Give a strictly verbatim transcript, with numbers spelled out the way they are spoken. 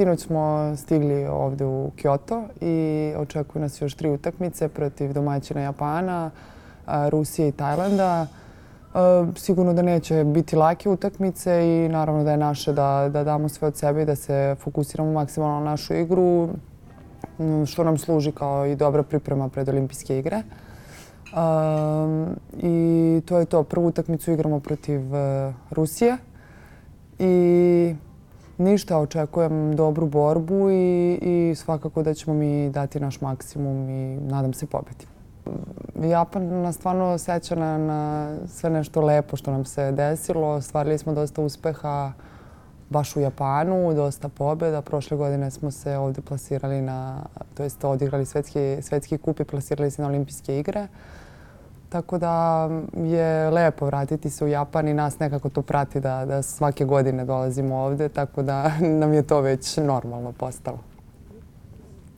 sinoć smo stigli ovdje u Kyoto i očekuju nas još tri utakmice protiv domaćina Japana, Rusije i Tajlanda. Sigurno da neće biti lake utakmice i naravno da je naše da, da damo sve od sebe i da se fokusiramo maksimalno na našu igru, što nam služi kao i dobra priprema pred olimpijske igre. Um, I to je to. Prvu utakmicu igramo protiv uh, Rusije i ništa, očekujem dobru borbu i, i svakako da ćemo mi dati naš maksimum i nadam se pobedi. Japan nas stvarno seća na, na sve nešto lepo što nam se desilo. Ostvarili smo dosta uspeha baš u Japanu, dosta pobjeda. Prošle godine smo se ovdje plasirali na, to jest odigrali svetski, svetski kup i plasirali se na olimpijske igre. Tako da je lepo vratiti se u Japan i nas nekako to prati da, da svake godine dolazimo ovdje, tako da nam je to već normalno postalo.